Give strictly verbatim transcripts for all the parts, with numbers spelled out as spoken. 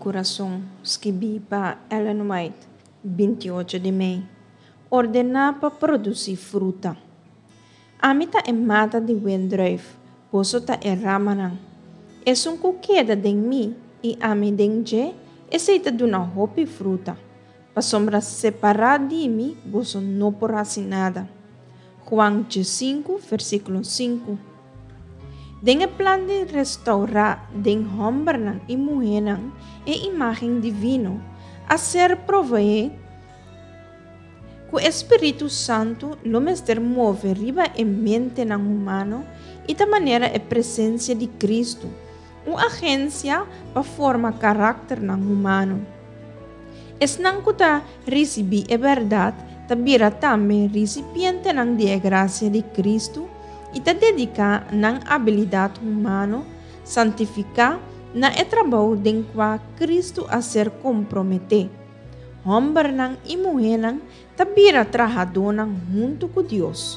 Kurason, skibí pa Ellen White, binti ocho di mei. Ordená pa produsí fruta. Ami ta e mata di wendrùif, boso ta e ramanan. Esun ku keda den mi i ami den dje, esei ta duna hopi fruta. Pasobra separá di mi boso no por hasi nada. Juan diesinku, versíkulo sinku. Den e plan di restourá den hòmbernan i muhénan e imágen divino, a ser proveé ku e Spiritu Santu lo mester move riba e mentenan humano i ta manera e presensia di Kristu, un agensia pa forma karakternan humano. Esnan ku ta risibí e bèrdat ta bira tambe risipientenan di e grasia di Kristu i ta dediká nan abilidat humano santifiká na e trabou den kua Kristu a ser komprometé. Hòmbernan i muhénan ta bira trahadónan huntu ku Dios.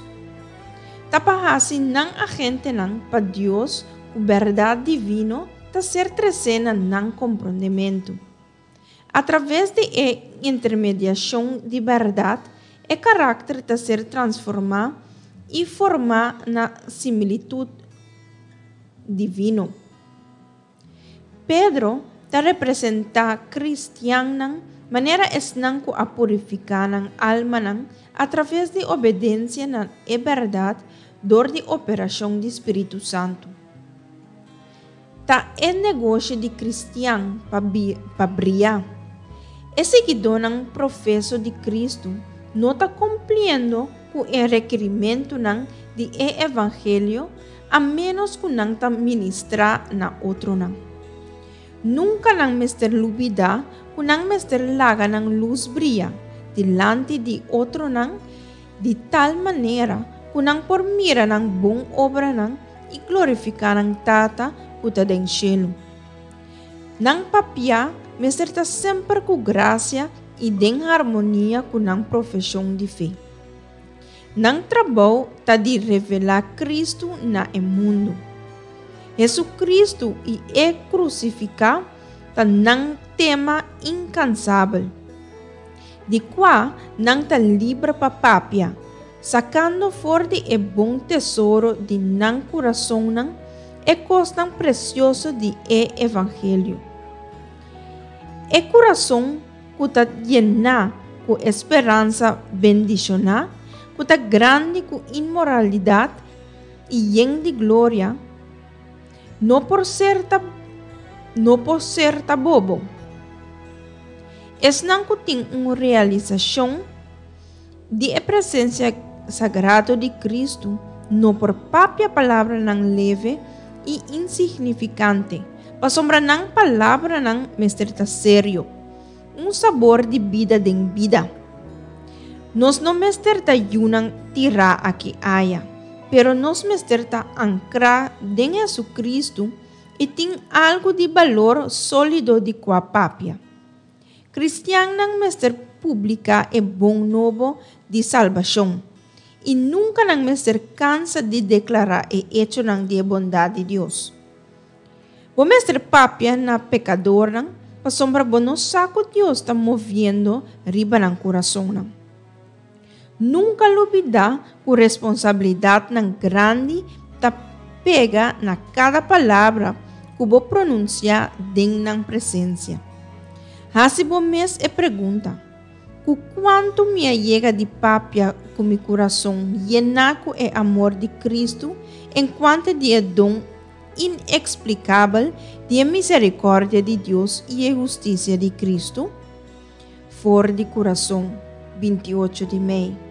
Ta pa hasi nan agentenan pa Dios ku bèrdat divino ta ser tresé na nan komprondementu. Atraves di e intermediashon di bèrdat, e karakter ta ser transformá i formá na similitut divino. Pedro ta representá kristiannan manera esnan ku a purifiká nan almanan atraves di obedensia na e bèrdat dor di operashon di Spiritu Santu. Ta e negoshi di kristian pa pa bria. E siguidónan profeso di Kristu no ta kumpliendo ku e rekerimentunan di e evangelio a ménos ku nan ta ministrá na otronan. Nunka nan mester lubidá ku nan mester laga nan lus bria dilanti di otronan di tal manera ku nan por mira nan bon obranan i glorifiká nan Tata ku ta den shelu. Nan papia mester ta semper ku grasia i den harmonia ku nan profeshon di fe. Nan trabou ta di revelá Kristu na e mundu. Hesukristu i e krusifiká ta nan tema inkansabel, di kua nan ta liber pa papia, sakando for di e bon tesoro di nan kurasonnan e kosnan presioso di e evangelio. E kurason ku ta yená ku e speransa bendishoná, ku ta grandi ku inmoralidat i yen di gloria, no por ser ta no por ser ta bobo. Esnan ku tin un realisashon di e presensia sagrado di Kristu no por papia palabranan leve i insignifikante, pasobra nan palabranan mester ta serio, un sabor di bida den bida. Nos no mester ta yunan tirá aki aya, pero nos mester ta ankrá den Hesukristu i tin algu di balor sólido di kua papia. Kristiannan mester publiká e bon nobo di salbashon, i nunka nan mester kansa di deklará e echonan di e bondat di Dios. Bo mester papia na pekadornan, pasobra bo no sa ku Dios ta moviendo riba nan kurasonnan. Nunka lubidá ku responsabilidatnan grandi ta pega na kada palabra ku bo pronunsiá den nan presensia. Hasi bo mes e pregunta, Ku kuantu mi a yega di papia ku mi kurason yená ku e amor di Kristu enkuanto di e don ineksplikabel di e miserikòrdia di Dios i e hustisia di Kristu? For di Kurason, binti ocho di mei.